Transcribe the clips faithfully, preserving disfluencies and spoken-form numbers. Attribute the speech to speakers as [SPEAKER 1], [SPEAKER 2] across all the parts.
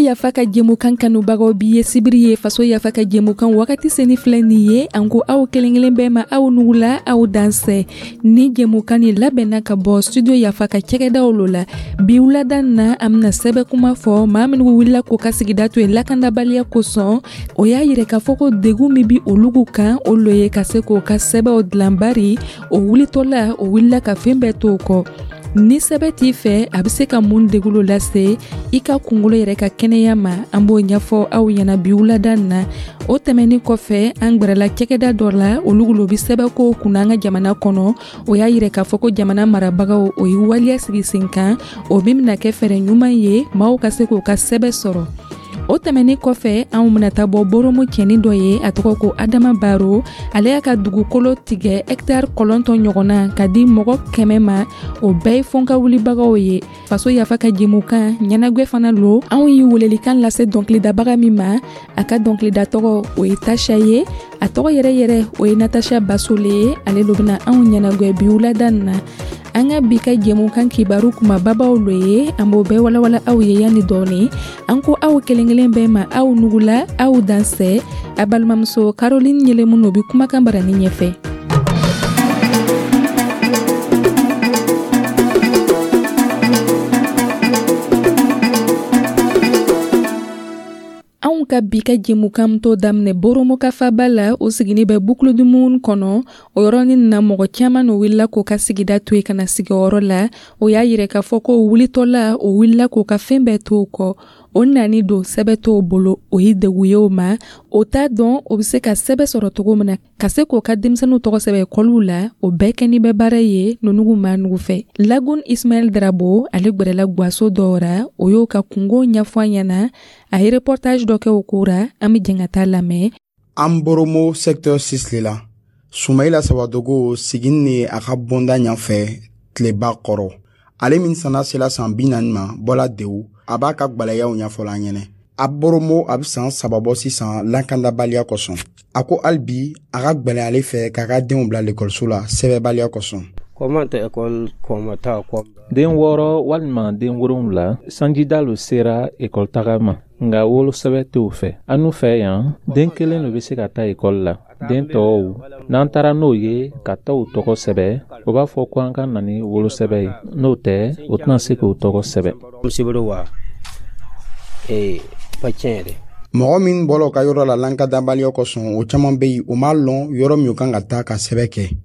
[SPEAKER 1] Yafa ka jɛmukan kanubagaw, bi ye sibiri ye. Faso Yafa ka jɛmukan wagati seni filɛ nin ye. An ko aw kelen kelen bɛɛ ma, aw nugula, aw dansɛ. Ni jɛmukan ni labɛnna ka bɔ Studio Yafa ka cɛgɛdaw lo la. Bi wulada na, an bena sɛbɛ kuma fɔ. Maa minnu wulila k'u ka sigida to yen lakandabaliya kosɔn, o y'a yirɛ k'a fɔ ko degun min bi olugu kan, o lo ye ka se k'o ka sɛbɛw dilan, bari o wulitɔla, o wulila ka fɛn bɛɛ to o kɔ. Ni sɛbɛ t'i fɛ, a bɛ se ka mun degulo lase i ka kungolo yɛrɛ ka kɛnɛya ma? An b'o ɲɛfɔ aw ɲɛna bi wulada na. O tɛmɛnin kɔfɛ, an gwɛrɛla cɛkɛda dɔ la, olu lo bi sɛbɛko kunna an ka jamana kɔnɔ. O y'a yirɛ k'a fɔ ko jamana marabagaw, o ye waleya sigi sen kan, o min bɛna kɛ fɛɛrɛ ɲuman ye maaw ka se k'u ka sɛbɛ sɔrɔ. O tɛmɛnin kɔfɛ, anw bɛna taa bɔ Boromo cɛnin dɔ ye, a tɔgɔ ko Adama Baro. Ale y'a ka dugukolo tigɛ hɛkitari kɔlɔntɔn ɲɔgɔnna ka di mɔgɔ kɛmɛ ma, o bɛɛ ye fɔnka wulibagaw ye. Faso Yafa ka jɛmukan ɲɛnagwɛ fana lo. Anw ye welelikan lase dɔnkilidabaga min ma, a ka dɔnkilida tɔgɔ, o ye Tasha ye. A tɔgɔ yɛrɛ yɛrɛ, o ye Natasha Basole ye. Ale lo bɛna anw ɲɛnagwɛ bi wulada nin na. An ka bi ka jɛmukan kibaru kumababaw lo ye, an b'o bɛɛ walawala aw ye yanni dɔɔni. An ko aw kelen kelen bɛɛ ma, aw nugula, aw dansɛ. A balimamuso Caroline Ɲelemu no bi kumakan barani ɲɛfɛ. Anw ka bi ka jɛmukan to daminɛ Boromo ka faba la, o sigini bɛ Boucle du Mouhoun kɔnɔ. O yɔrɔnin na, mɔgɔ caman no wulila k'o ka sigida to yen ka na sigiyɔrɔ la. O y'a yirɛ k'a fɔ ko wulitɔla, o wulila k'o ka fɛn bɛɛ to o kɔ. O nani don, sɛbɛ t'o bolo, o ye degun ye o ma. O t'a dɔn o bɛ se ka sɛbɛ sɔrɔ cogo min na ka se k'o ka denmisɛnninw tɔgɔ sɛbɛn ekɔliw la. O bɛɛ kɛni bɛ baara ye nunugu ma nugu fɛ. Lagun Ismaɛl Darabo, ale gwɛrɛla gwaso dɔw ra, o y'o ka kungo ɲɛfɔ an ɲɛna. A ye reportage dɔ kɛ o ko ra, an bɛ jɛn ka taa lamɛn.
[SPEAKER 2] An Boromo secteur six le la, Sumayila Sawadogo sigin ni a ka bonda ɲɛfɛ tileba kɔrɔ. Ale min sana sela san bi naani ma, bɔla Dewu, a b'a ka gwɛlɛyaw ɲɛfɔla an ɲɛnɛ. A Boromo a bɛ san saba bɔ sisan lakandabaliya kosɔn. A ko hali bi a ka gwɛlɛn ale fɛ k'a ka denw bila lekɔliso la sɛbɛbaliya kosɔn.
[SPEAKER 3] Den wɔɔrɔ walima den wolonwula sanjida lo sera ekɔli taga ma, nka wolosɛbɛ t'o fɛ. Anu fɛ yan, den kelen lo bɛ se ka taa ekɔli la. Den tɔw, n'an taara n'o ye ka taa u tɔgɔ sɛbɛ, o b'a fɔ ko an ka na ni wolosɛbɛ ye. N'o tɛ, o tɛna se k'o tɔgɔ sɛbɛ.
[SPEAKER 2] Mɔgɔ min bɔla u ka yɔrɔ la lankadabaliya kosɔn, o caman bɛ yen, o m'a lɔn yɔrɔ min u kan ka taa ka sɛbɛ kɛ.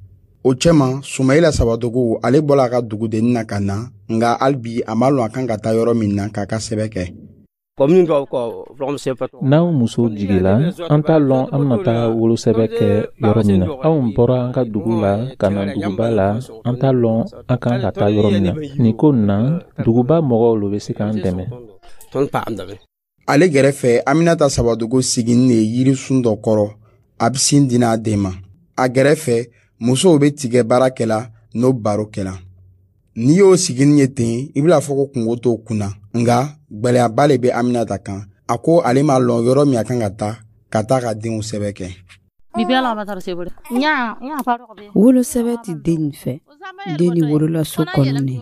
[SPEAKER 2] O cɛma, Sumayila Sawadogo, ale bɔla a ka dugudennin na ka na, nka hali bi a m'a lɔn a kan ka taa yɔrɔ min na k'a ka sɛbɛ kɛ.
[SPEAKER 3] N'anw muso jigila, an t'a lɔn an bɛna taa wolosɛbɛ kɛ yɔrɔ min na. Anw bɔra an ka dugu la ka na duguba la, an t'a lɔn an kan ka taa yɔrɔ min na. Nin ko nin na, duguba mɔgɔw lo bɛ se k'an dɛmɛ.
[SPEAKER 2] Ale gɛrɛfɛ, Aminata Sawadogo siginin de ye yirisun dɔ kɔrɔ, a bɛ sin di n'a den ma. A gɛrɛfɛ, musow bɛ tigɛ baara kɛla n'o baro kɛla. N'i y'o siginin ye ten, i bɛna fɔ ko kungo t'o kunna, nka gwɛlɛyaba le bɛ Aminata kan. A ko ale m'a lɔn yɔrɔ min a kan ka taa ka taa ka denw sɛbɛ kɛ.
[SPEAKER 4] Wolosɛbɛ tɛ den nin fɛ. Den nin wolola so kɔnɔ ne.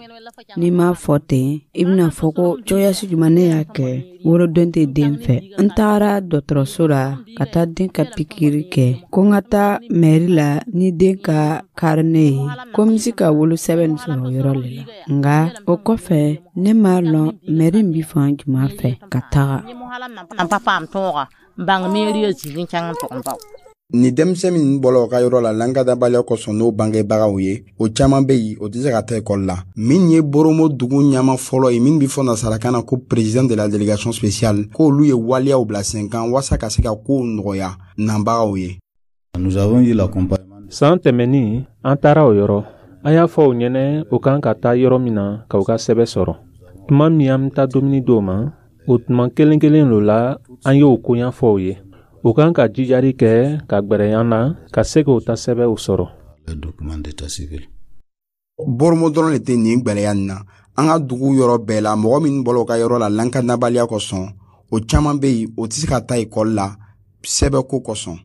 [SPEAKER 4] N'i m'a fɔ ten, i bɛna fɔ ko cogoyasi jumɛn ne y'a kɛ woloden tɛ den fɛ. N tagara dɔgɔtɔrɔso la ka taa den ka pikiri kɛ, ko n ka taa mɛri la ni den ka karine ye, ko n bɛ se ka wolosɛbɛn nin sɔrɔ o yɔrɔ le la. Nka o kɔfɛ, ne m'a lɔn mɛri in bɛ fan jumɛn fɛ ka taga.
[SPEAKER 2] Ni denmisɛn min bɔla u ka yɔrɔ la lankadabaliya kosɔn n'o bangebagaw ye, o caman bɛ yen, o tɛ se ka taa ekɔli la. Min ye Boromo dugu ɲɛma fɔlɔ ye, min bɛ fɔ nasarakan na ko président de la délégation spéciale, k'olu ye waleyaw bila sen kan walasa ka se ka kow nɔgɔya nanbagaw ye.
[SPEAKER 3] San tɛmɛnin, an taara o yɔrɔ. An y'a fɔ u ɲɛnɛ o kan ka taa yɔrɔ min na ka u ka sɛbɛ sɔrɔ. Tuma min an bɛ taa dumuni d'o ma, o tuma kelen kelen lo la an y'o koɲa fɔ u ye. U kan ka jijari kɛ ka gwɛrɛya na ka se k'o ta sɛbɛw sɔrɔ.
[SPEAKER 2] Boromo dɔrɔn de tɛ nin gwɛlɛya nin na. An ka dugu yɔrɔ bɛɛ la, mɔgɔ min bɔla u ka yɔrɔ la lakanabaliya kosɔn, o caman bɛ yen, o tɛ se ka taa ekɔli la sɛbɛko kosɔn.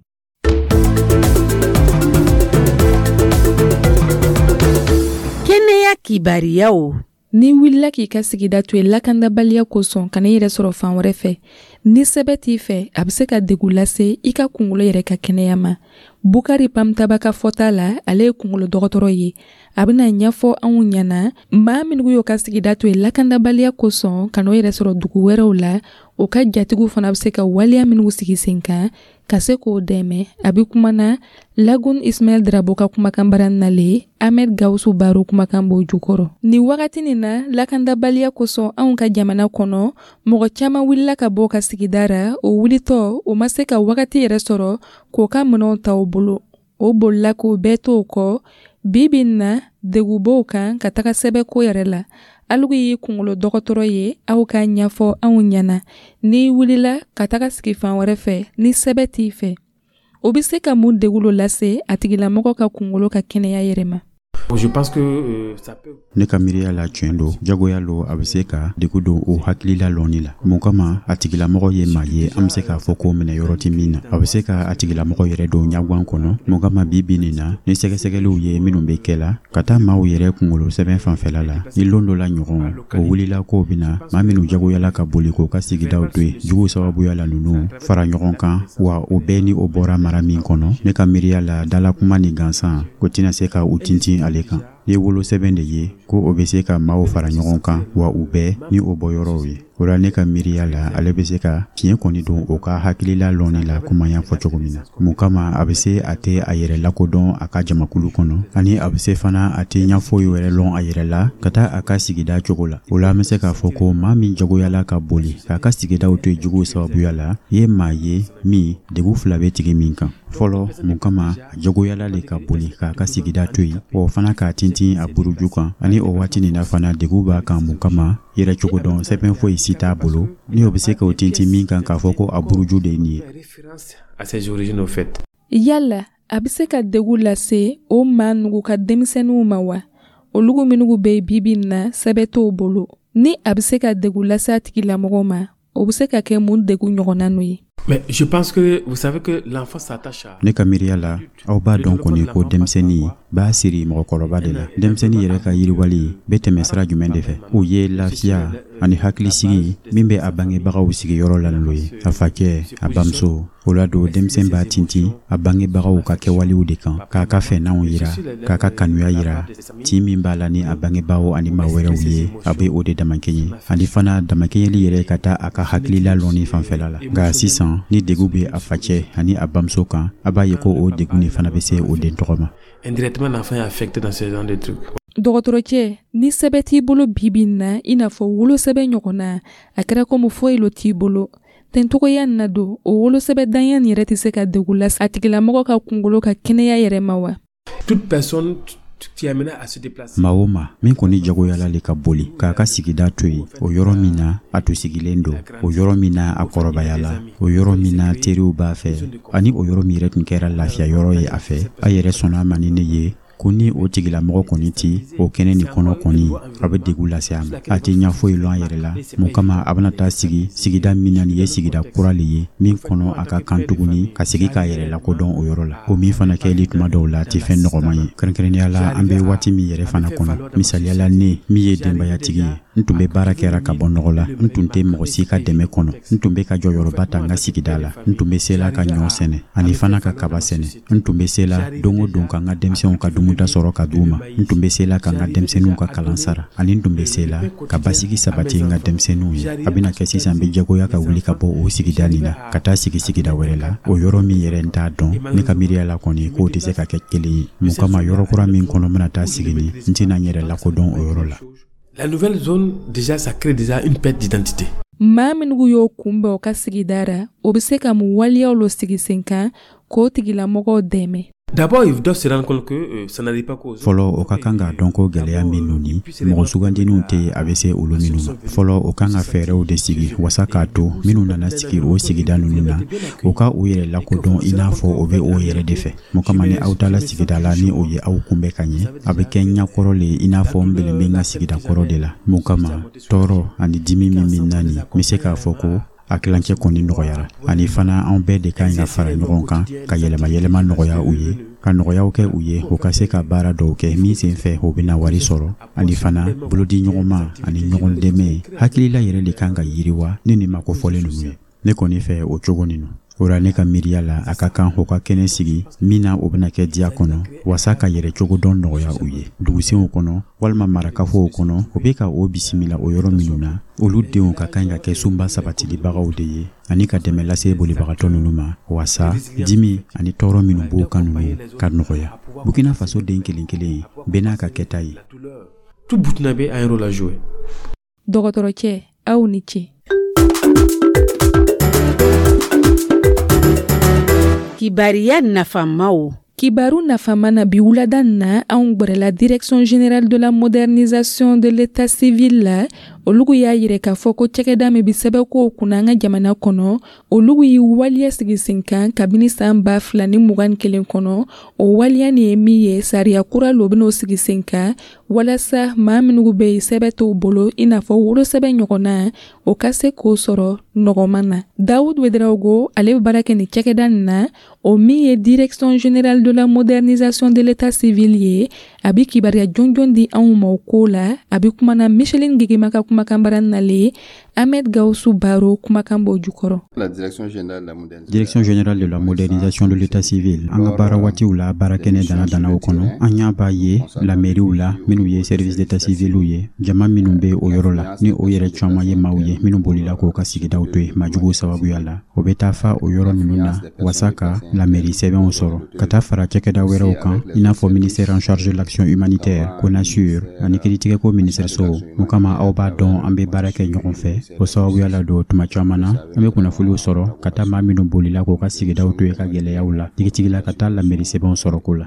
[SPEAKER 5] Kɛnɛya kibariyaw.
[SPEAKER 1] N'i wulila k'i ka sigida to yen lakandabaliya kosɔn, ka n'i yɛrɛ sɔrɔ fan wɛrɛ fɛ, ni sɛbɛ t'i fɛ, a bɛ se ka degun lase i ka kunkolo yɛrɛ ka kɛnɛya ma. Bukari Pamtaba ka fɔta la, ale ye kunkolo dɔgɔtɔrɔ ye. A bɛna ɲɛfɔ anw ɲɛna, maa minnu y'o ka sigida to yen lakandabaliya kosɔn ka n'o yɛrɛ sɔrɔ dugu wɛrɛw la, o ka jatigiw fana bɛ se ka waleya minnu sigi sen kan ka se k'o dɛmɛ. A bɛ kuma na Lagun Ismaɛl Drabo ka kumakan bara nalen, Ahmed Gawusu Baro kumakan b'o jukɔrɔ. Nin wagati nin na, lakandabaliya kosɔn anw ka jamana kɔnɔ, mɔgɔ caman wulila ka bɔ ka sigida ra. O wulitɔ, o ma se ka wagati yɛrɛ sɔrɔ k'o ka minɛnw ta u bolo. O bolila k'o bɛɛ t'o kɔ. Bi bi in na, degun b'o kan ka taga sɛbɛko yɛrɛ la. Alugu y'i kunkolo dɔgɔtɔrɔ ye, aw k'a ɲɛfɔ anw ɲɛna, n'i wulila ka taga sigi fan wɛrɛ fɛ, ni sɛbɛ t'i fɛ, o bɛ se ka mun degun lo lase a tigilamɔgɔ ka kunkolo ka kɛnɛya yɛrɛ ma?
[SPEAKER 5] Je pense que euh, ça peut
[SPEAKER 6] Ne ka miiriya la, tiɲɛ don, jagoya lo, a bɛ se ka degu don o hakilila lɔnni la. Mun kama? A tigilamɔgɔ ye maa ye, an bɛ se k'a fɔ ko minɛ yɔrɔ tɛ min na. A bɛ se ka a tigilamɔgɔ yɛrɛ don ɲaguwan kɔnɔ. Mun kama? Bi bi nin na, ni sɛgɛsɛgɛliw ye minnu bɛ kɛ la ka taa maaw yɛrɛ kunkolo sɛbɛn fanfɛla la, ni lon dɔ la ɲɔgɔn o wulila k'o bɛna maa minnu jagoyala ka boli k'o ka sigidaw to yen juguw sababuya la, ninnu fara ɲɔgɔn kan wa, o bɛɛ ni o bɔra mara min kɔnɔ, ne ka miiriya la, dalakuma ni gansan o tɛna se ka u tintin ale kan. Ni wolosɛbɛn de ye ko o bɛ se ka maaw fara ɲɔgɔn kan wa, u bɛɛ ni o bɔyɔrɔw ye, o la ne ka miiriya la, ale bɛ se ka fiɲɛ kɔni don o ka hakilila lɔnni la, komi an y'a fɔ cogo min na. Mun kama? A bɛ se a tɛ a yɛrɛ lakodɔn a ka jamakulu kɔnɔ, ani a bɛ se fana a tɛ ɲɛ foyi wɛrɛ lɔn a yɛrɛ la ka taa a ka sigida cogo la. O la, an bɛ se k'a fɔ ko maa min jagoyala ka boli k'a ka sigidaw to yen juguw sababuya la, ye maa ye min degun fila bɛ tigi min kan. Fɔlɔ, mun kama a jagoyala le ka boli k'a ka sigida to yen, o fana k'a tintin a buruju kan, ani o waati nin na fana degun b'a kan. Mun kama? Yɛrɛ cogo dɔn sɛbɛn foyi si t'a bolo ni o bɛ se k'o tintin min kan k'a fɔ ko a buruju de ye nin ye.
[SPEAKER 5] Référence à ses origines au fait.
[SPEAKER 1] Yala a bɛ se ka degun lase o maa nugu ka denmisɛnninw ma wa, olugu minnu bɛ yen bi bi in na, sɛbɛn t'o bolo? Ni a bɛ se ka degun lase a tigilamɔgɔ ma, o bɛ se ka kɛ mun degun ɲɔgɔnna n'o ye?
[SPEAKER 5] Mais je pense que vous savez que l'enfant s'attache à
[SPEAKER 6] Ne ka miiriya la, aw b'a dɔn kɔni ko denmisɛnnin b'a siri mɔgɔkɔrɔba de la. Denmisɛnnin yɛrɛ ka yiriwali bɛ tɛmɛ sira jumɛn de fɛ? O ye lafiya ani hakilisigi min bɛ a bangebagaw sigiyɔrɔ la n'o ye a facɛ, a bamuso. O la don, denmisɛn b'a tintin a bangebagaw ka kɛwalew de kan, k'a ka fɛnnaw yira, k'a ka kanuya yira. Tin min b'a la ni a bangebagaw ani maa wɛrɛw ye, a bɛ o de damakɛɲɛ, ani fana damakɛɲɛli yɛrɛ ka taa a ka hakilila lɔnni fanfɛla la. Nka sisan, ni degun bɛ a facɛ ani a bamuso kan, a b'a ye ko o degun nin fana bɛ se o den tɔgɔ ma.
[SPEAKER 5] Indirectement, l'enfant est affecté dans ce genre de trucs.
[SPEAKER 1] Dɔgɔtɔrɔcɛ, ni sɛbɛn t'i bolo bi bi in na, i n'a fɔ wolosɛbɛn ɲɔgɔnna, a kɛra komi foyi lo t'i bolo tencogoya nin na don, o wolosɛbɛn danya nin yɛrɛ tɛ se ka degun lase a tigilamɔgɔ ka kunkolo ka kɛnɛya yɛrɛ ma wa?
[SPEAKER 5] Toute personne qui est amenée à se déplacer.
[SPEAKER 6] Maa o maa min kɔni jagoyala le ka boli k'a ka sigida to yen, o yɔrɔ min na a to sigilen don, o yɔrɔ min na a kɔrɔbayala, o yɔrɔ min na teriw b'a fɛ, ani o yɔrɔ min yɛrɛ tun kɛra lafiya yɔrɔ ye a fɛ, a yɛrɛ sɔnna a ma ni ne ye ko ni o tigilamɔgɔ kɔni ti o kɛnɛ nin kɔnɔ kɔni, a bɛ degun lase a ma. A tɛ ɲɛ foyi lɔn a yɛrɛ la. Mun kama? A bɛna taa sigi sigida min na, nin ye sigida kura le ye min kɔnɔ a ka kan tuguni ka sigi k'a yɛrɛ lakodɔn o yɔrɔ la. O min fana kɛli tuma dɔw la tɛ fɛn nɔgɔman ye, kɛrɛnkɛrɛnnenya la an bɛ waati min yɛrɛ fana kɔnɔ. Misaliya la, ne min ye denbayatigi ye, n tun bɛ baara kɛra ka bɔ nɔgɔ la, n tun tɛ mɔgɔ si ka dɛmɛ kɔnɔ, n tun bɛ ka jɔyɔrɔba ta n ka sigida la, n tun bɛ se la ka ɲɔ sɛnɛ ani fana ka kaba sɛnɛ, n tun bɛ se la don o don ka n ka denmisɛnw ka dumuda sɔrɔ ka d'u ma, n tun bɛ se la ka n ka denmisɛnninw ka kalan sara, ani n tun bɛ se la ka basigi sabati n ka denmisɛnninw ye. A bɛna kɛ sisan n bɛ jagoya ka wuli ka bɔ o sigida nin na ka taa sigi sigida wɛrɛ la, o yɔrɔ min yɛrɛ n t'a dɔn. Ne ka miiriya la kɔni, k'o tɛ se ka kɛ kelen ye. Mun kama? Yɔrɔ kura min kɔnɔ n bɛna taa sigi nin, n tɛna n yɛrɛ lakodɔn o yɔrɔ la.
[SPEAKER 5] La nouvelle zone, déjà, ça crée déjà une perte d'identité.
[SPEAKER 1] Maa minnu y'o kunbɛn o ka sigida ra, o bɛ se ka mun waleyaw lo sigi sen kan k'o tigilamɔgɔw dɛmɛ?
[SPEAKER 5] D'abord, ils doivent se rendre compte que euh, ça n'arrive pas qu'aux autres.
[SPEAKER 6] Fɔlɔ, o ka kan k'a dɔn ko gɛlɛya minnu ni mɔgɔ sugandininw tɛ, a bɛ se olu minnu ma. Fɔlɔ, o kan ka fɛɛrɛw de sigi wasa k'a to minnu nana sigi o sigida ninnu na, o ka u yɛrɛ lakodɔn i n'a fɔ o bɛ o yɛrɛ de fɛ. Mun kama? Ni aw taala sigida la, ni o ye aw kunbɛn ka ɲɛ, a bɛ kɛ ɲɛkɔrɔ le i n'a fɔ n belen bɛ n ka sigida kɔrɔ de la. Mun kama? Tɔɔrɔ ani dimi min bɛ na nin, n bɛ se k'a fɔ ko a A kilancɛ kɔni nɔgɔyara. Ani fana, an bɛɛ de ka ɲi ka fara ɲɔgɔn kan ka yɛlɛma yɛlɛma nɔgɔya u ye, ka nɔgɔyaw kɛ u ye, u ka se ka baara dɔw kɛ min sen fɛ u bɛna wari sɔrɔ. Ani fana, bolodi ɲɔgɔnma ani ɲɔgɔn dɛmɛ hakilila yɛrɛ de kan ka yiriwa ni nin mako fɔlen ninnu ye. Ne kɔni fɛ, o cogo nin o la, ne ka miiriya la, a ka kan u ka kɛnɛ sigi min na o bɛna kɛ diya kɔnɔ, wasa ka yɛrɛ cogo dɔn nɔgɔya u ye dugusenw kɔnɔ walima marakafow kɔnɔ. U bɛ ka o bisimila o yɔrɔ minnu na, olu denw ka kan ka kɛ sunba sabatilibagaw de ye ani ka dɛmɛ lase bolibagatɔ ninnu ma, wasa dimi ani tɔɔrɔ minnu b'o kan ninnu ka nɔgɔya. Burkina Faso den kelen kelen bɛɛ n'a ka kɛta ye.
[SPEAKER 5] Tout Burkinabé a un rôle à jouer.
[SPEAKER 1] Dɔgɔtɔrɔcɛ, aw ni ce.
[SPEAKER 7] Kibariya nafamaw.
[SPEAKER 1] Kibaru nafama na bi wulada na, anw gwɛrɛla Direction générale de la modernisation de l'état civil la. Olugu y'a yirɛ k'a fɔ ko cɛkɛda min bi sɛbɛkow kunna an ka jamana kɔnɔ, olugu ye waleya sigi sen kan kabini saan ba fila ni mugan kelen kɔnɔ. O waleya nin ye min ye, sariya kura lo ben'o sigi sen kan walasa maa minnu be yen sɛbɛ t'o bolo, i n'a fɔ wolosɛbɛ ɲɔgɔnna, o ka se k'o sɔrɔ nɔgɔman na. Dawud Wedraogo, ale be baara kɛ nin cɛkɛda nin na, o min ye Direction générale de la modernisation de l'état civil ye. A bi kibaruya jɔnjɔn di anw ma o ko la. A bi kumana Micheline Gegema ka kumakan bara nalen, Ahmed Gausu Baro kumakan b'o jukɔrɔ.
[SPEAKER 6] Direction générale de la modernisation de l'état civil, an ka baara waatiw la, baara kɛnɛ dana danaw kɔnɔ, an y'a b'a ye lamɛriw la, minnu ye service d'état civil ye, jama minnu bɛ o yɔrɔ la, ni o yɛrɛ caman ye maaw ye minnu bolila k'o ka sigidaw to yen maajuguw sababuya la, o bɛ taa fa o yɔrɔ ninnu na wasa ka lamɛri sɛbɛnw sɔrɔ, ka taa fara cakɛda wɛrɛw kan, i n'a fɔ ministère en charge de l'action humanitaire, CONASUR ani kiiritigɛko minisiriso. O kama, aw b'a dɔn, an bɛ baara kɛ ɲɔgɔn fɛ. O sababuya la don, tuma caman na, an bɛ kunnafoniw sɔrɔ ka taa maa minnu bolila k'u ka sigidaw to yen ka gɛlɛyaw la tigitigi la, ka taa lamɛri sɛbɛnw sɔrɔ ko la.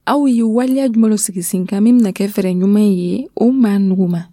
[SPEAKER 1] Aw ye waleya jumɛn sigi sen kan min bɛna kɛ fɛɛrɛ ɲuman ye o maa nugu ma?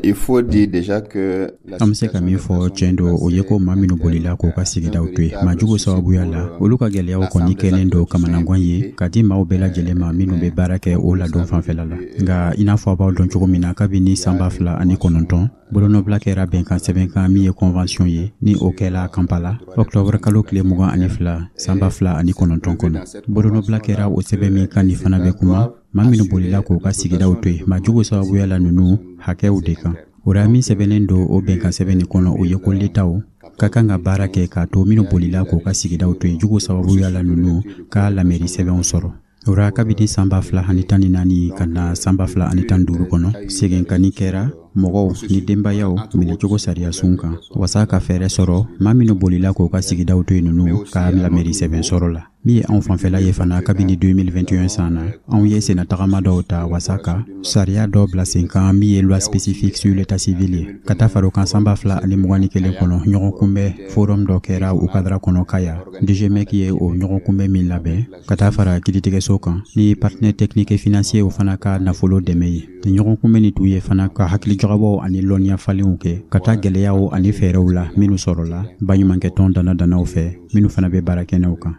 [SPEAKER 8] Il faut dire déjà que
[SPEAKER 6] An bɛ se ka min fɔ, tiɲɛ don, o ye ko maa minnu bolila k'u ka sigidaw to yen maajugu sababuya la, olu ka gɛlɛyaw kɔni kɛlen don kamanagan ye ka di maaw bɛɛ lajɛlen ma minnu bɛ baara kɛ o ladon fanfɛla la. Nka i n'a fɔ a b'aw dɔn cogo min na, kabini san ba fila ani kɔnɔntɔn, bolonɔbila kɛra bɛnkan sɛbɛn kan min ye convention ye, ni o kɛla Kampala octobre kalo tile mugan ani fila san ba fila ani kɔnɔntɔn kɔnɔ. Bolonɔbila kɛra o sɛbɛn min kan, nin fana bɛ kuma maa minnu bolila k'u ka sigidaw to yen maajugu sababuya la ninnu hakɛw de kan. O la, min sɛbɛnnen don o bɛnkan sɛbɛn nin kɔnɔ, o ye ko letaw ka kan ka baara kɛ k'a to minnu bolila k'u ka sigidaw to yen jugu sababuya la ninnu ka lamɛri sɛbɛnw sɔrɔ. O la, kabini san ba fila ani tan ni naani ka na san ba fila ani tan duuru kɔnɔ, seginkani kɛra mɔgɔw ni denbayaw minɛcogo sariya sun kan, wasa ka fɛɛrɛ sɔrɔ maa minnu bolila k'u ka sigidaw to yen ninnu ka lamɛri sɛbɛn sɔrɔ la. Min ye anw fanfɛla ye fana, kabini deux mille vingt et un san na, anw ye sennatagama dɔw ta wasa ka sariya dɔ bila sen kan min ye loi spécifique sur l'état civil ye. Ka taa fara o kan, san ba fila ani mugan ni kelen kɔnɔ, ɲɔgɔn kunbɛn forum dɔ kɛra o cadre kɔnɔ Kaya. D G M E C ye o ɲɔgɔn kunbɛn min labɛn, ka taa fara kiiritigɛso kan ni partenaire technique et financier, o fana ka nafolo dɛmɛ ye. Ni ɲɔgɔn kunbɛn ni tun ye fana ka hakili jagabɔw ani lɔnniya falenw kɛ ka taa gɛlɛyaw ani fɛɛrɛw la minnu sɔrɔla baɲumankɛtɔn dana danaw fɛ minnu fana bɛ baara kɛnɛw kan.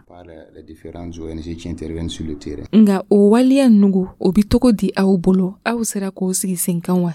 [SPEAKER 1] Nga o waleya nugu, o bi togo di aw bolo? Aw sera k'o sigi sen kan wa?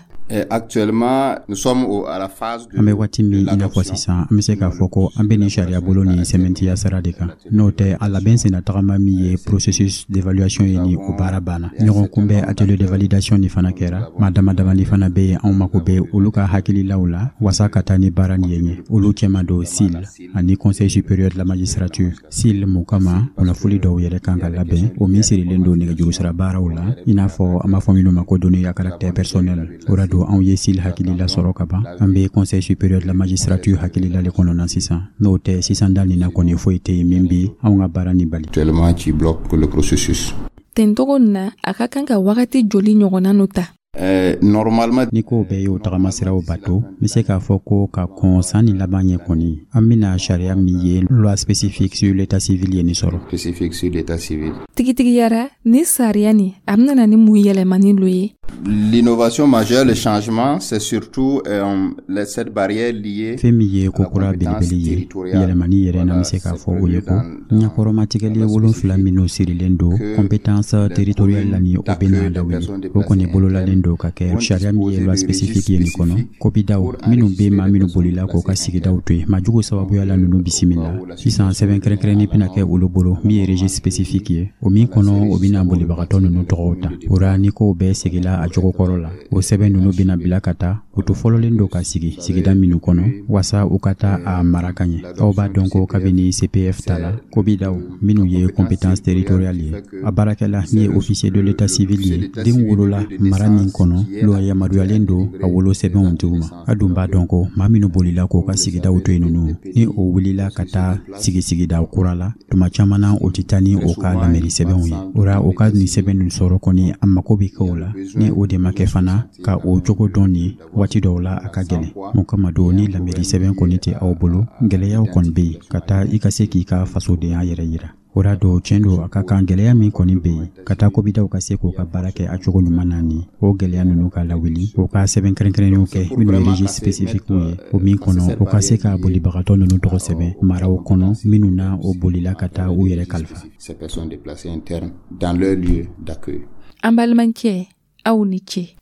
[SPEAKER 8] Actuellement, nous sommes à la phase
[SPEAKER 6] An bɛ waati min i n'a fɔ sisan, an bɛ se k'a fɔ ko an bɛ nin sariya bolo nin sɛmɛntiya sira de kan. N'o tɛ, a labɛn senna tagama min ye processus d'évaluation ye, ni o baara banna. Ɲɔgɔn kunbɛn atelier de validation ni fana kɛra. Maa dama damani fana bɛ yen, anw mako bɛ olu ka hakililaw la wasa ka taa ni baara nin ye ɲɛ. Olu cɛma don C I L ani Conseil supérieur de la magistrature. C I L mun kama, kunnafoli dɔw yɛrɛ kan ka labɛn, o min sirilen don nɛgɛjuru sira baaraw la, i n'a fɔ an b'a fɔ minnu ma ko données à caractère personnel. O la don, anw ye C I L hakilila sɔrɔ ka ban. An bɛ Conseil supérieur de la magistrature hakilila le kɔnɔna sisan. N'o tɛ, sisan da nin na kɔni, foyi tɛ yen min bi anw ka baara nin bali.
[SPEAKER 8] Actuellement qui bloque le processus.
[SPEAKER 1] Tentogo na, a ka kan ka wagati joli ɲɔgɔnna no ta?
[SPEAKER 8] Euh, normalement
[SPEAKER 6] Ni ko bɛɛ y'o tagamasiraw bato, n bɛ se k'a fɔ ko ka kɔn san ni laban ɲɛ kɔni, an bɛna sariya min ye loi spécifique sur l'état civil ye nin sɔrɔ.
[SPEAKER 8] Spécifique sur l'état civil.
[SPEAKER 1] Tigitigiyara, ni sariya nin, a bɛna na ni mun yɛlɛmani lo ye?
[SPEAKER 8] L'innovation majeure, le changement, c'est surtout euh, les, cette barrière liée
[SPEAKER 6] Fɛn min ye ko kura belebele ye, yɛlɛmani yɛrɛ, n'an bɛ se k'a fɔ, o ye ko ɲɛkɔrɔmatigɛli wolonfila minnu sirilen don compétence territoriale la, ni o bɛna lawuli, o kɔni bololalen. labɛnnen don ka kɛ sariya min ye loi spécifique ye nin kɔnɔ, kobidaw minnu bɛ maa minnu bolila k'o ka sigidaw to yen majugu sababuya la, ninnu bisimila. Sisan, sɛbɛn kɛrɛnkɛrɛnnin bɛna kɛ olu bolo min ye registre spécifique ye, o min kɔnɔ o bɛna bolibagatɔ ninnu tɔgɔw ta. O ra, ni kow bɛɛ segila a cogo kɔrɔ la, o sɛbɛn ninnu bɛna bila ka taa u to fɔlɔlen don ka sigi sigida minnu kɔnɔ, wasa u ka taa a mara ka ɲɛ. Aw b'a dɔn ko kabini C P F ta la, kobidaw minnu ye compétence territoriale ye, a baarakɛla min ye officier de l'état civil ye, den wolola mara min kɔnɔ, loi yamaruyalen don a wolo sɛbɛnw di u ma. A dun b'a dɔn ko maa minnu bolila k'o ka sigidaw to yen, ninnu ni o wulila ka taa sigi sigida kura la, tuma caman na o tɛ taa ni o ka lamɛnni sɛbɛnw ye. O ra, o ka nin sɛbɛn ninnu sɔrɔ kɔni, a mako bɛ kɛ o la. Ni o de ma kɛ fana, ka o cogo dɔn nin waati dɔw la, a ka gɛlɛn. Mun kama don, ni lamɛnni sɛbɛn kɔni tɛ aw bolo, gɛlɛyaw kɔni bɛ yen ka taa i ka se k'i ka fasodenya yɛrɛ yira. O ra don, tiɲɛ don, a ka kan gɛlɛya min kɔni bɛ yen ka taa kobidaw ka se k'u ka baara kɛ a cogo ɲuman na, ni o gɛlɛya ninnu ka lawuli, o ka sɛbɛn kɛrɛnkɛrɛnnenw kɛ minnu ye registre spécifique ye, o min kɔnɔ o ka se ka bolibagatɔ ninnu tɔgɔ sɛbɛn maraw kɔnɔ minnu na o bolila ka taa u yɛrɛ kalifa.
[SPEAKER 8] Ces personnes déplacées internes dans leur lieu d'accueil.
[SPEAKER 1] An balimacɛ, aw ni ce.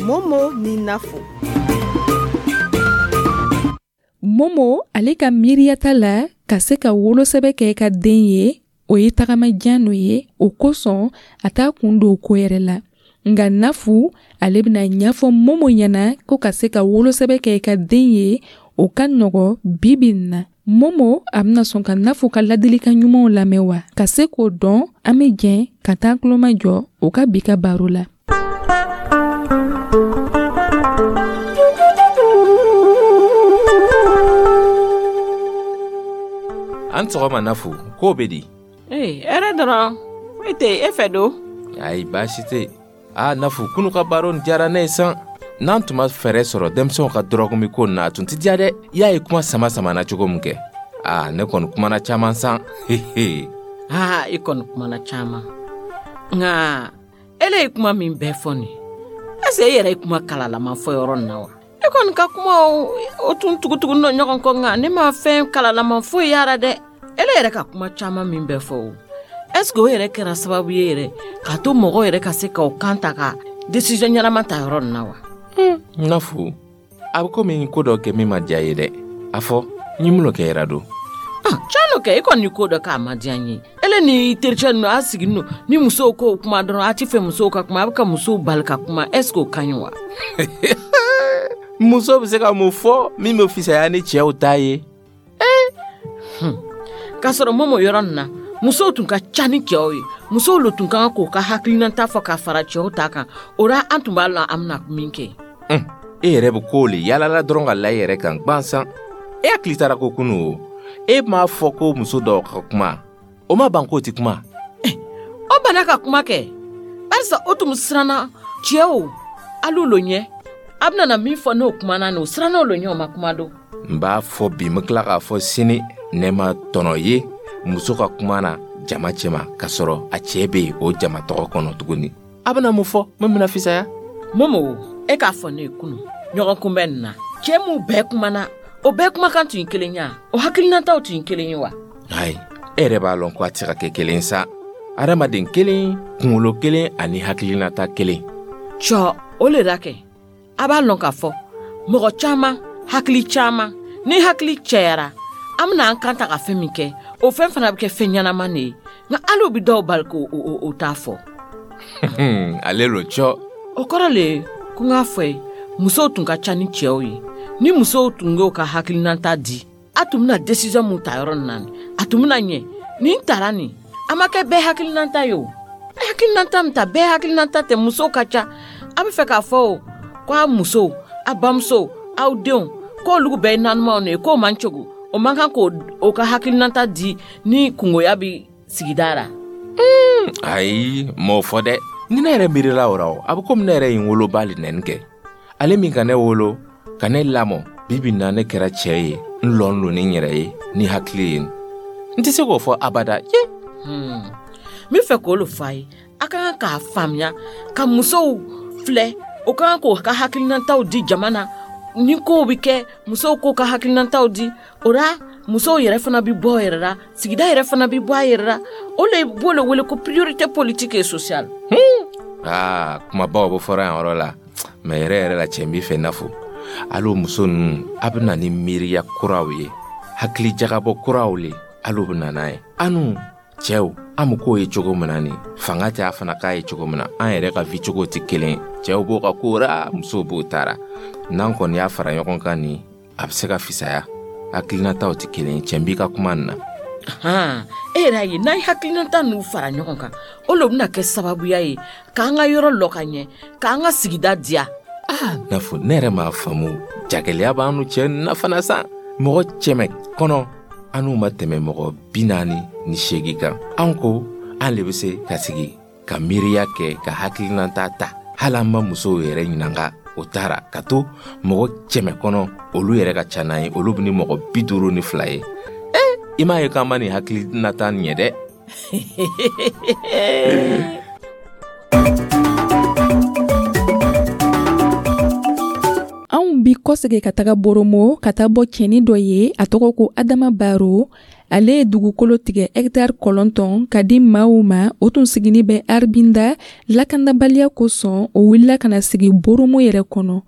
[SPEAKER 9] Momo ni Nafo.
[SPEAKER 1] Momo, ale ka miiriyata la, ka se ka wolosɛbɛ kɛ ka den ye, o ye tagamajan no ye. O kosɔn a t'a kun don ko yɛrɛ la. Nka Nafu, ale bɛna ɲɛfɔ Momo ɲɛna ko ka se ka wolosɛbɛ kɛ ka den ye, o ka nɔgɔ bi bi in na. Momo, a bɛna sɔn ka Nafu ka ladilikan ɲumanw lamɛn wa? Ka se k'o dɔn, an bɛ jɛn ka taa tulomajɔ o ka bi ka baro la.
[SPEAKER 5] An sɔgɔma Nafu, k'o bɛ di?
[SPEAKER 7] Ee, hɛrɛ dɔrɔn, foyi tɛ e fɛ don.
[SPEAKER 5] Ayi, baasi tɛ. Aa Nafu, kunu ka baro nin diyara ne ye san. N'an tun ma fɛɛrɛ sɔrɔ denmisɛnw ka dɔrɔgu min ko na, a tun tɛ diya dɛ. I y'a ye kuma sama samana cogo min kɛ. Aa, ne kɔni kumana caman san.
[SPEAKER 7] Aa, i kɔni kumana caman. Nka ele ye kuma min bɛɛ fɔ nin, est ce que e yɛrɛ ye kuma kalalama fɔ yɔrɔ nin na wa? E kɔni ka kuma o tun tugutugu nɔ ɲɔgɔn kɔ, nka ne ma fɛn kalalama foyi yara dɛ. Ele yɛrɛ ka kuma caman min bɛɛ fɔ o, est ce que o yɛrɛ kɛra sababu ye yɛrɛ k'a to mɔgɔw yɛrɛ ka se k'o kan ta ka décision ɲɛnama ta yɔrɔ nin na wa?
[SPEAKER 5] Nafu, a bɛ komi ko dɔ kɛ min ma diya ye dɛ. A fɔ, n ye mun kɛ yɛrɛ don?
[SPEAKER 7] Ah, can kɛ, i kɔni ko dɔ k'a ma diya n ye. Ele ni tericɛ ninnu a sigi nɔ ni musow k'o kuma dɔrɔn, a ti fɛ musow ka kuma, a bɛ ka musow bali ka kuma, est ce que o ka ɲi wa?
[SPEAKER 5] Muso bɛ se ka mun fɔ min bɛ fisaya ni cɛw ta ye?
[SPEAKER 7] K'a sɔrɔ Momo, yɔrɔ nin na, musow tun ka ca ni cɛw ye. Musow le tun kan k'o ka hakilinata fɔ ka fara cɛw ta kan. O la, an tun b'a lɔn an bɛna min kɛ.
[SPEAKER 5] E yɛrɛ bɛ k'o le yalala dɔrɔn ka la i yɛrɛ kan gansan. E hakili taara ko kunu o. E m'a fɔ ko muso dɔw ka kuma, o ma ban k'o tɛ kuma.
[SPEAKER 7] O banna ka kuma kɛ barisa o tun siranna cɛw al'u lo ɲɛ. A bɛna na min fɔ n'o kumana nin, o siranna o lo ɲɛ, o ma kuma don.
[SPEAKER 5] N b'a fɔ bi, n bɛ tila k'a fɔ sini, ne ma tɔnɔ ye muso ka kuma na jama cɛma k'a sɔrɔ a cɛ bɛ yen o jama tɔgɔ kɔnɔ tuguni. A bɛna mun fɔ min bɛna fisaya?
[SPEAKER 7] Momo, e k'a fɔ ne ye kunu ɲɔgɔn kunbɛn nin na, cɛ mun bɛɛ kumana, o bɛɛ kumakan tun ye kelen ye, o hakilinataw tun ye kelen ye wa?
[SPEAKER 5] Ayi, e yɛrɛ b'a lɔn ko a tɛ se ka kɛ kelen sa. Adamaden kelen, kunkolo kelen ani hakilinata kelen.
[SPEAKER 7] Cɔ, o le la kɛ a b'a lɔn k'a fɔ mɔgɔ caman hakili caman, ni hakili cɛyara, an bɛna an kan ta ka fɛn min kɛ, o fɛn fana bɛ kɛ fɛn ɲɛnama de ye. Nka hali o bɛ dɔw bali k'o o t'a fɔ.
[SPEAKER 5] Ale lo cɔ.
[SPEAKER 7] O kɔrɔ le ko n k'a fɔ ye, musow tun ka ca ni cɛw ye. Ni musow tun y'o ka hakilinata di, a tun bɛna décision mun ta yɔrɔ nin na, a tun bɛna ɲɛ. Nin tara nin, a ma kɛ bɛɛ hakilinata ye o. Hakilinata min ta, bɛɛ hakilinata tɛ, musow ka ca. A bɛ fɛ k'a fɔ o ko a musow, a bamusow, aw denw, k'olu bɛɛ ye nanumaw de ye, k'o man cogo, o man kan k'o ka hakilinata di ni kungoya bɛ sigida la.
[SPEAKER 5] Ayi, m'o fɔ dɛ. Ni ne yɛrɛ miirila o la o, a bɛ komi ne yɛrɛ ye n woloba le nɛni kɛ. Ale min ka ne wolo, ka ne lamɔ, bi bi na ne kɛra cɛ ye, n lɔn lo ni n yɛrɛ ye, ni hakili ye. N tɛ se k'o fɔ abada ye.
[SPEAKER 7] N bɛ fɛ k'o le fɔ a ye. A ka kan k'a faamuya ka musow filɛ, o ka kan k'o ka hakilinataw di jama na. Ni kow bɛ kɛ, musow k'o ka hakilinataw di. O la musow yɛrɛ fana bɛ bɔ yɛrɛ la, sigida yɛrɛ fana bɛ bɔ a yɛrɛ la. O le b'o le wele ko priorité politique et sociale.
[SPEAKER 5] Aa, kumabaw bɛ fɔra yan yɔrɔ la, mɛ yɛrɛ yɛrɛ la, cɛ n b'i fɛ n'a fɔ hali muso ninnu, a bɛ na ni miiriya kuraw ye, hakili jagabɔ kuraw le hali bɛ na n'a ye. Anu cɛw, an bɛ k'o ye cogo min na, nin fanga tɛ a fana k'a ye cogo min na, an yɛrɛ ka vie cogo tɛ kelen ye. Cɛw b'o ka ko ra, musow b'o taara. N'an kɔni y'a fara ɲɔgɔn kan nin, a bɛ se ka fisaya. Hakilinataw tɛ kelen ye. Cɛ b'i ka kuma nin na.
[SPEAKER 7] Han, e yɛrɛ y'a ye, n'an ye hakilinata ninnu fara ɲɔgɔn kan, o le bɛna kɛ sababuya ye k'an ka yɔrɔ lɔ ka ɲɛ, k'an ka sigida diya.
[SPEAKER 5] Aa, n'a fɔ ne yɛrɛ m'a faamu, jagɛlɛya b'an nu cɛ na fana sa. Mɔgɔ cɛmɛ kɔnɔ, an n'u ma tɛmɛ mɔgɔ bi naani ni seegin kan. An ko an le bɛ se ka sigi ka miiriya kɛ, ka hakilinata ta, hali an ma musow yɛrɛ ɲininka o taara ka to mɔgɔ cɛmɛ kɔnɔ, olu yɛrɛ ka ca n'an ye, olu bɛ ni mɔgɔ bi duuru ni fila ye. Ee, i m'a ye k'an ma nin hakilinata ɲɛ dɛ.
[SPEAKER 1] Anw bi kɔsegin ka taga Boromo ka taa bɔ cɛnin dɔ ye, a tɔgɔ ko Adama Baro. Ale ye dugukolo tigɛ hɛkitari kɔnɔntɔn ka di maaw ma. O tun sigini bɛ Arbinda lakanabaliya kosɔn, o wulila ka na sigi Boromo yɛrɛ kɔnɔ.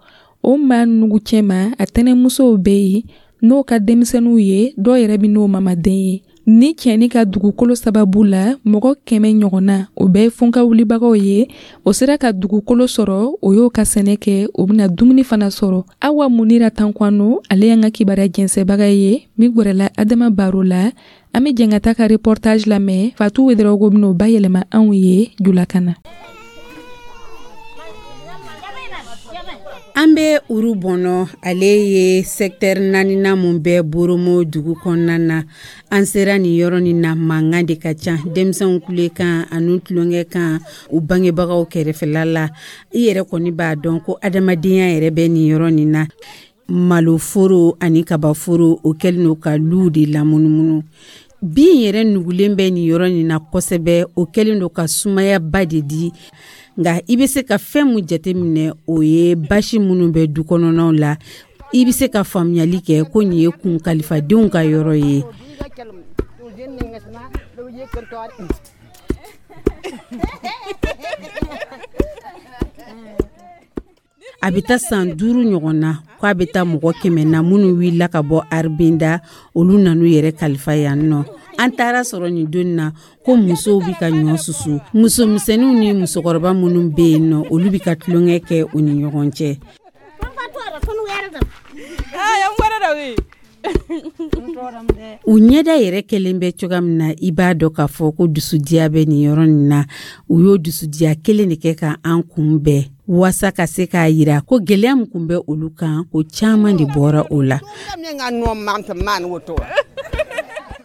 [SPEAKER 1] O maa nugu cɛma, a tɛnɛmusow bɛ yen n'o ka denmisɛnninw ye, dɔw yɛrɛ bɛ n'o mamaden ye. Ni cɛnin ka dugukolo sababu la, mɔgɔ kɛmɛ ɲɔgɔnna, o bɛɛ ye funka wulibagaw ye, o sera ka dugukolo sɔrɔ, o y'o ka sɛnɛ kɛ, o bɛna dumuni fana sɔrɔ. Awa Munira Tankwano, ale y'an ka kibaruya jɛnsɛbaga ye min gwɛrɛla Adama Baro la. An bɛ jɛn ka taa ka reportage lamɛn. Fatu Wedarawogo bɛn'o bayɛlɛma anw ye julakan na.
[SPEAKER 10] An bɛ Uru Bɔnɔ, ale ye secteur naaninan mun bɛ Boromo dugu kɔnɔna na. An sera nin yɔrɔ nin na, mankan de ka ca, denmisɛnw kulekan ani tulonkɛ kan u bangebagaw kɛrɛfɛla la. I yɛrɛ kɔni b'a dɔn ko adamadenya yɛrɛ bɛ nin yɔrɔ nin na. Maloforo ani kabaforo, o kɛlen don ka luw de lamunumunu. Bin yɛrɛ nugulen bɛ nin yɔrɔ nin na kosɛbɛ, o kɛlen don ka sumayaba de di. Nka i bɛ se ka fɛn mun jateminɛ, o ye basi minnu bɛ du kɔnɔnaw la. I bɛ se ka faamuyali kɛ ko nin ye kun kalifadenw ka yɔrɔ ye. A bɛ taa san duuru ɲɔgɔn na k'a bɛ taa mɔgɔ kɛmɛ na minnu wulila ka bɔ Arbinda, olu nan'u yɛrɛ kalifa yan nɔ. An taara sɔrɔ nin don na ko musow bɛ ka ɲɔ susu, musomisɛnninw ni musokɔrɔba minnu bɛ yen nɔ, olu bɛ ka tulonkɛ kɛ u ni ɲɔgɔn cɛ. U ɲɛda yɛrɛ kɛlen bɛ cogoya min na, i b'a dɔn k'a fɔ ko dusudiya bɛ nin yɔrɔ nin na. U y'o dusudiya kelen de kɛ ka an kunbɛn, waasa ka se k'a yira ko gɛlɛya min kun bɛ olu kan, ko caman de bɔra o la.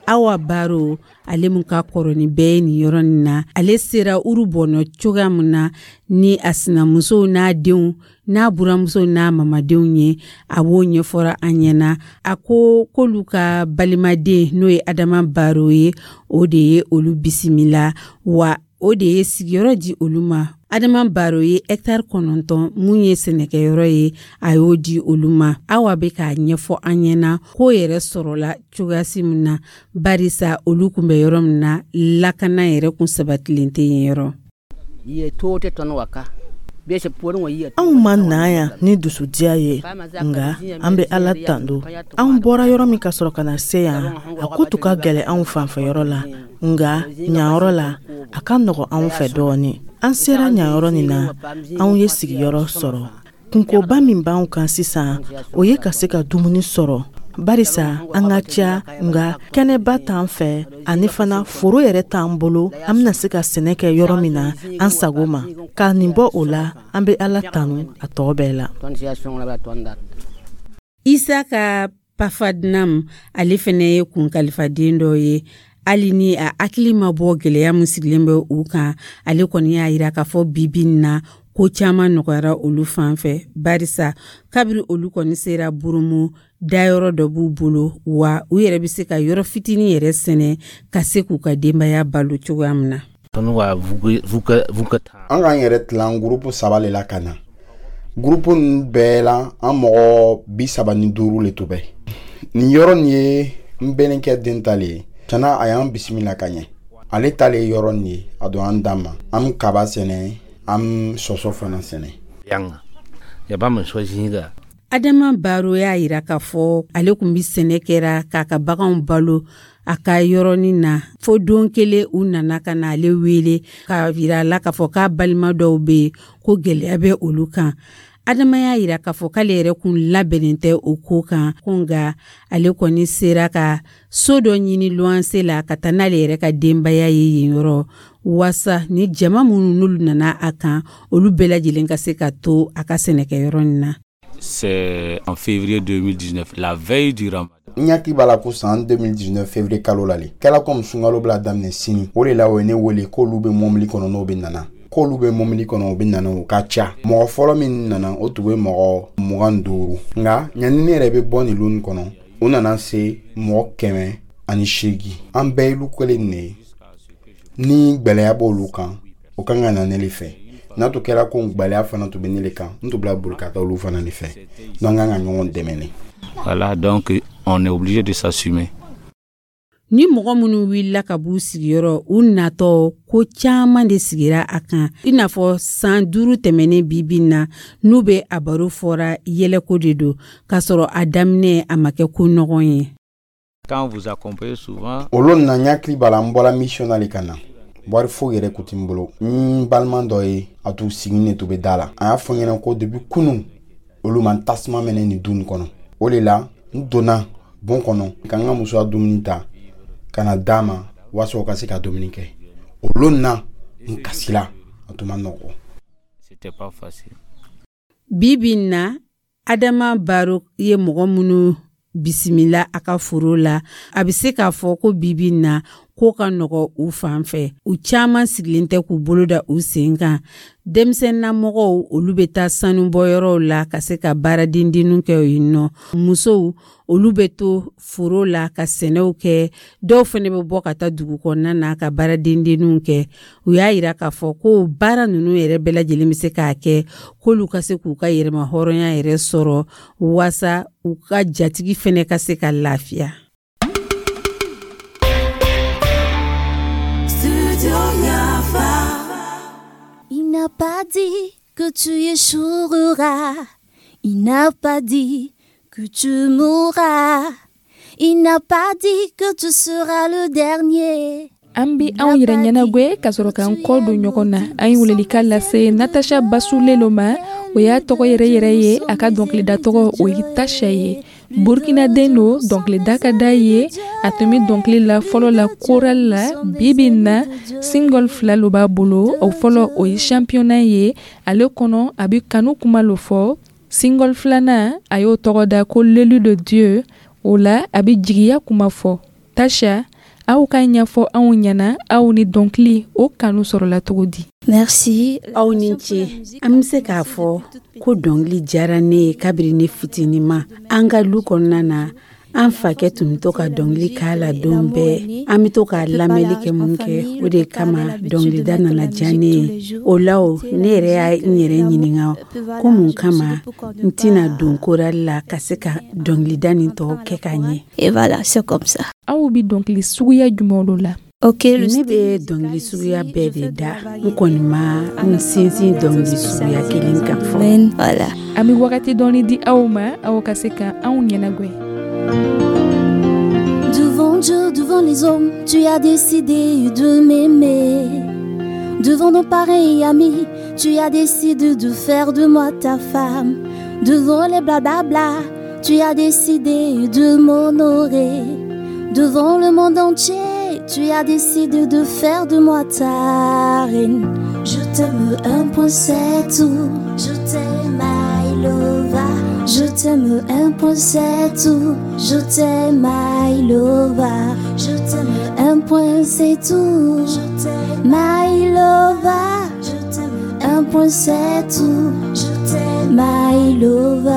[SPEAKER 10] Awa Baro, ale mun ka kɔrɔ ni bɛɛ ye nin yɔrɔ nin na, ale sera Uru Bɔnɔ cogoya min na ni a sinamusow n'a denw n'a buramusow n'a mamadenw ye, a b'o ɲɛfɔra an ɲɛna. A ko k'olu ka balimaden n'o ye Adama Baro ye, o de ye olu bisimila, wa o de ye sigiyɔrɔ di olu ma. Adama Baro ye hɛkitari kɔnɔntɔn mun ye sɛnɛkɛyɔrɔ ye, a y'o di olu ma. Awa bɛ k'a ɲɛfɔ an ɲɛna k'o yɛrɛ sɔrɔla cogoyasi min na, barisa olu kun bɛ yɔrɔ min na, lakana yɛrɛ kun sabatilen tɛ yen yɔrɔ.
[SPEAKER 11] Anw ma na yan ni dusudiya ye, nka an bɛ Ala tando. Anw bɔra yɔrɔ min ka sɔrɔ ka na se yan, a ko tun ka gɛlɛn anw fanfɛyɔrɔ la, nka ɲanyɔrɔ la, a ka nɔgɔn anw fɛ dɔɔnin. An sera ɲanyɔrɔ nin na, anw ye sigiyɔrɔ sɔrɔ. Kunkoba min b'anw kan sisan, o ye ka se ka dumuni sɔrɔ, barisa an ka ca, nka kɛnɛba t'an fɛ, ani fana foro yɛrɛ t'an bolo an bɛna se ka sɛnɛ kɛ yɔrɔ min na an sago ma. Ka nin bɔ o la, an bɛ Ala tanu a tɔ bɛɛ la.
[SPEAKER 10] Isaka Pafadnam, ale fɛnɛ ye kun kalifaden dɔ ye. Hali ni a hakili ma bɔ gɛlɛya min sigilen bɛ u kan, ale kɔni y'a yira k'a fɔ bi bi in na ko caman nɔgɔyara olu fan fɛ, barisa kabiri olu kɔni sera Boromo, dayɔrɔ dɔ b'u bolo, wa u yɛrɛ bɛ se ka yɔrɔ fitinin yɛrɛ sɛnɛ ka se k'u ka denbaya balo cogoya min na.
[SPEAKER 2] An k'an yɛrɛ tilan gurupu saba le la ka na. Groupe ninnu bɛɛ la, an mɔgɔ bi saba ni duuru le tun bɛ nin yɔrɔ nin ye. N bɛnninkɛ den ta le ye. Tiɲɛna, a y'an bisimila ka ɲɛ. Ale ta le ye yɔrɔ nin ye, a don an dan ma. An bɛ kaba sɛnɛ, an bɛ sɔsɔ fana sɛnɛ.
[SPEAKER 10] Adama Baro y'a yira k'a fɔ ale tun bɛ sɛnɛ kɛra k'a ka baganw balo a ka yɔrɔnin na, fo don kelen u nana ka na ale wele k'a yira a la k'a fɔ k'a balima dɔw bɛ yen ko gɛlɛya bɛ olu kan. Adama y'a yira k'a fɔ k'ale yɛrɛ kun labɛnnen tɛ o ko kan, ko nka ale kɔni sera ka so dɔ ɲini luwanse la ka taa n'ale yɛrɛ ka denbaya ye yen yɔrɔ, waasa ni jama minnu n'olu nana a kan, olu bɛɛ lajɛlen ka se ka to a ka sɛnɛkɛyɔrɔ nin na.
[SPEAKER 12] C'est en février deux mille dix-neuf, la veille du Ramadan.
[SPEAKER 2] N hakili b'a la ko san deux mille dix-neuf février kalo la le kɛla komi sunkalo bila daminɛ sini. O de la, o ye ne wele k'olu bɛ mɔbili kɔnɔ, n'o bɛ nana, k'olu bɛ mɔbili kɔnɔ, o bɛ nana, o ka ca. Mɔgɔ fɔlɔ min nana, o tun bɛ mɔgɔ mugan duuru. Nka ɲani ne yɛrɛ bɛ bɔ nin lon kɔnɔ, o nana se mɔgɔ kɛmɛ ani seegin. An bɛɛ ye lu kelen de ye. Ni gwɛlɛya b'olu kan, o kan ka na ne le fɛ. N'a tun kɛra ko gwɛlɛya fana tun bɛ ne le kan, n tun bila boli ka taa olu fana de fɛ. Donc an kan ka ɲɔgɔn dɛmɛ ne.
[SPEAKER 12] Voilà, donc on est obligé de s'assumer.
[SPEAKER 10] Ni mɔgɔ minnu wulila ka b'u sigiyɔrɔ, u natɔ ko caaman de sigira a kan, i n'a fɔ san duuru tɛmɛnen bibi na n'u bɛ a baro fɔra yɛlɛko de don, k'a sɔrɔ a daminɛ a ma kɛ ko nɔgɔn ye.
[SPEAKER 12] Quand vous accompagnez souvent,
[SPEAKER 2] Olu na, n hakili b'a la, n bɔra mission na le ka na, wari foyi yɛrɛ kun tɛ n bolo. N balima dɔ ye, a t'u sigi ne tun bɛ da la, a y'a fɔ n ɲɛna ko depuis kunun olu ma tasuma mɛnɛ nin du nin kɔnɔ. O de la, n donna bon kɔnɔ ka n ka muso ka dumuni ta ka na d'a ma, walasa o ka se ka dumuni kɛ. O lon na, n kasila, a tun ma nɔgɔ.
[SPEAKER 12] C'était pas facile.
[SPEAKER 10] Bi bi in na, Adama Baro ye mɔgɔ minnu bisimila a ka foro la, a bɛ se k'a fɔ ko bi bi in na ko ka nɔgɔ u fan fɛ. U caman sigilen tɛ k'u bolo da u sen kan. Denmisɛnninamɔgɔw, olu bɛ taa sanubɔyɔrɔw la ka se ka baara dendenninw kɛ yen nɔ. Musow, olu bɛ to foro la ka sɛnɛw kɛ. Dɔw fana bɛ bɔ ka taa dugu kɔnɔna na ka baara dendenninw kɛ. U y'a yira k'a fɔ ko baara ninnu yɛrɛ bɛɛ lajɛlen bɛ se k'a kɛ k'olu ka se k'u ka yɛrɛma hɔrɔnya yɛrɛ sɔrɔ, waasa u ka jatigi fana ka se ka lafiya.
[SPEAKER 13] Studio Yafa. Il n'a pas dit que tu échoueras. Il n'a pas dit que tu mourras. Il n'a pas dit que tu seras le dernier.
[SPEAKER 1] An bi anw yɛrɛ ɲɛnagwɛ ka sɔrɔ k'an kɔ don ɲɔgɔn na. An ye welelika lase Natasha Basulelo ma, o y'a tɔgɔ yɛrɛ yɛrɛ ye. A ka dɔnkilida tɔgɔ, o ye Tasha ye. Burkinaden don, dɔnkilida ka d'a ye. A tun bɛ dɔnkili la fɔlɔ la chorale la. Bi bi in na, single fila lo b'a bolo. O fɔlɔ, o ye Championnat ye. Ale kɔnɔ, a bɛ kanu kuma lo fɔ. Single filanan, a y'o tɔgɔ da ko L'élu de Dieu. O la, a bɛ jigiya kuma fɔ. Tasha, aw ka ɲɛfɔ anw ɲɛna, aw ni dɔnkili o kanu sɔrɔla cogo di?
[SPEAKER 13] Merci.
[SPEAKER 10] Aw ni ce. An bɛ se k'a fɔ ko dɔnkili diyara ne ye kabiri ne fitinin ma. An ka lu kɔnɔna na, an fakɛ tun bɛ to ka dɔnkili k'a la don bɛɛ. An bɛ to ka lamɛnli kɛ mun kɛ, o de kama dɔnkilida nana diya ne ye. O la, o ne yɛrɛ y'a n yɛrɛ ɲininka ko mun kama n tɛna don chorale la ka se ka dɔnkilida nin tɔ kɛ ka ɲɛ.
[SPEAKER 13] Et voilà, c'est comme ça.
[SPEAKER 1] Aw bɛ dɔnkili suguya jumɛn lo la?
[SPEAKER 13] Ok, le
[SPEAKER 10] Ne bɛ dɔnkili suguya bɛɛ de da. N kɔni ma n sinsin dɔnkili suguya kelen kan fɔlɔ.
[SPEAKER 13] Voilà.
[SPEAKER 1] An bɛ wagati dɔɔni di aw ma, aw ka se ka anw ɲɛnagwɛ.
[SPEAKER 13] Devant Dieu, devant les hommes, tu as décidé de m'aimer. Devant nos parents et amis, tu as décidé de faire de moi ta femme. Devant les blablabla, tu as décidé de m'honorer. Devant le monde entier, tu as décidé de faire de moi ta reine. Je t'aime, un point, c'est tout. Je t'aime, I love. Je t'aime, un point, c'est tout. Je t'aime, I love. Je t'aime, un point, c'est tout. Je t'aime, my lover. Je t'aime, un point, c'est tout. Je t'aime, my lover.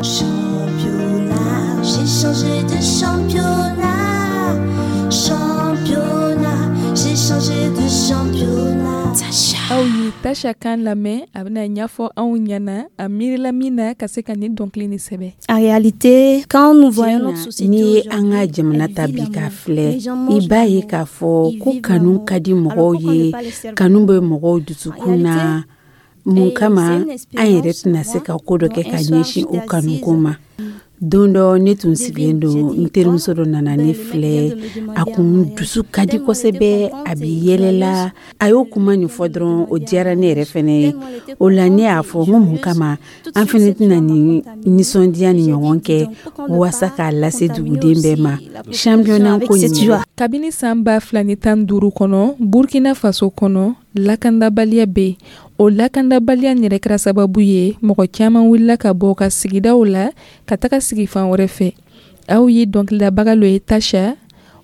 [SPEAKER 13] Championnat, j'ai changé de championnat. Championnat, j'ai changé de championnat.
[SPEAKER 1] Aw ye Tasha kan lamɛn, a bɛna ɲɛfɔ anw ɲɛna a miirila min na ka se ka nin dɔnkili nin sɛbɛn.
[SPEAKER 13] En réalité, quand nous voyons notre société,
[SPEAKER 10] n'i ye an ka jamana ta bi k'a filɛ, i b'a ye k'a fɔ ko kanu ka di mɔgɔw ye, kanu bɛ mɔgɔw dusukun na. Mun kama an yɛrɛ tɛna se ka ko dɔ kɛ ka ɲɛsin o kanuko ma? Don dɔ, ne tun sigilen don, n terimuso dɔ nana ne filɛ. A kun dusu ka di kosɛbɛ, a bi yɛlɛla. A y'o kuma nin fɔ dɔrɔn, o diyara ne yɛrɛ fɛnɛ ye. O la, ne y'a fɔ n ko mun kama an fɛnɛ tɛna nin nisɔndiya ni ɲɔgɔn kɛ waasa k'a lase duguden bɛɛ ma, championnat ko nin.
[SPEAKER 1] Kabini san ba fila ni tan duuru kɔnɔ, Burkina Faso kɔnɔ, lakandabaliya bɛ yen. O lakandabaliya yɛrɛ kɛra sababu ye, mɔgɔ caman wulila ka bɔ ka sigidaw la ka taga sigi fan wɛrɛ fɛ. Aw ye dɔnkilidabaga lo ye, Tasha.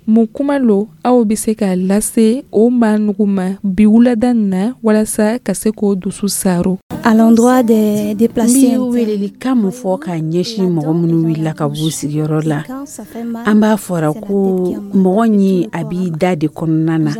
[SPEAKER 1] Mun kuma lo aw bɛ se k'a lase o maa nugu ma bi wulada nin na walasa ka se k'o dusu saro?
[SPEAKER 13] À l'endroit des déplacés.
[SPEAKER 10] N bɛ welelikan mun fɔ k'a ɲɛsin mɔgɔ minnu wulila ka b'u sigiyɔrɔ la? An b'a fɔra ko mɔgɔ ɲi a b'i da de kɔnɔna na,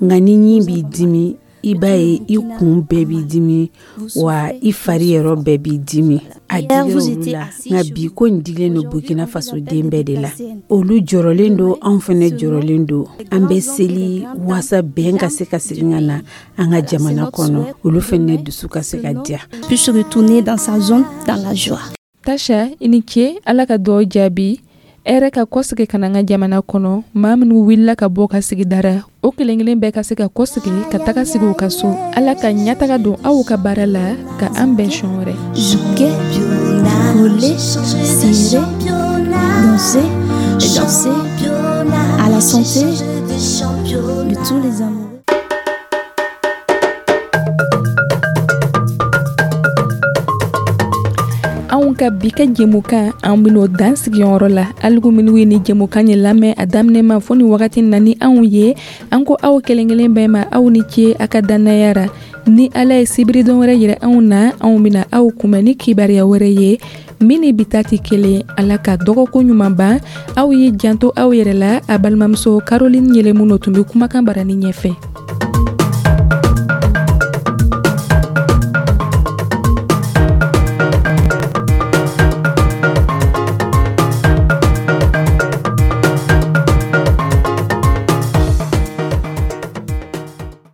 [SPEAKER 10] nka ni ɲi b'i dimi, i b'a ye i kun bɛɛ b'i dimi, wa i fari yɔrɔ bɛɛ b'i dimi. A digira olu la, nka bi ko in digilen don Burkina Faso den bɛɛ de la. Olu jɔrɔlen don, anw fɛnɛ jɔrɔlen don. An bɛ seli waasa bɛn ka se ka segin ka na an ka jamana kɔnɔ, olu fɛnɛ dusu ka se ka diya.
[SPEAKER 13] Puisse retourner dans sa zone dans la joie.
[SPEAKER 1] Tasha, i ni ce. Ala ka dɔw jaabi hɛrɛ ka kɔsigi ka na an ka jamana kɔnɔ. Maa minnu wulila ka bɔ ka sigidara, o kelen kelen bɛɛ ka se ka kɔsigi ka taga sigi u ka so. Ala ka ɲɛtaga don aw ka baara la, ka an bɛn sɔn wɛrɛ.
[SPEAKER 13] Jouer, rouler, serrer, danser, danser à la santé de tous les amoureux.
[SPEAKER 1] Anw ka bi ka jɛmukan, an ben'o dan sigiyɔrɔ la. Aligu minnu ye ni jɛmukan ye lamɛn a daminɛ ma fo ni wagati na ni anw ye, an ko aw kelen kelen bɛɛ ma, aw ni ce a ka dannaya ra. Ni Ala ye sibiridon wɛrɛ yira anw na, anw bena aw kunbɛn ni kibaruya wɛrɛ ye min ni bi ta tɛ kelen. Ala ka dɔgɔkun ɲuman ban. Aw ye janto aw yɛrɛ la. A balimamuso Caroline Yɛlɛmu tun bɛ kumakan barani ɲɛfɛ.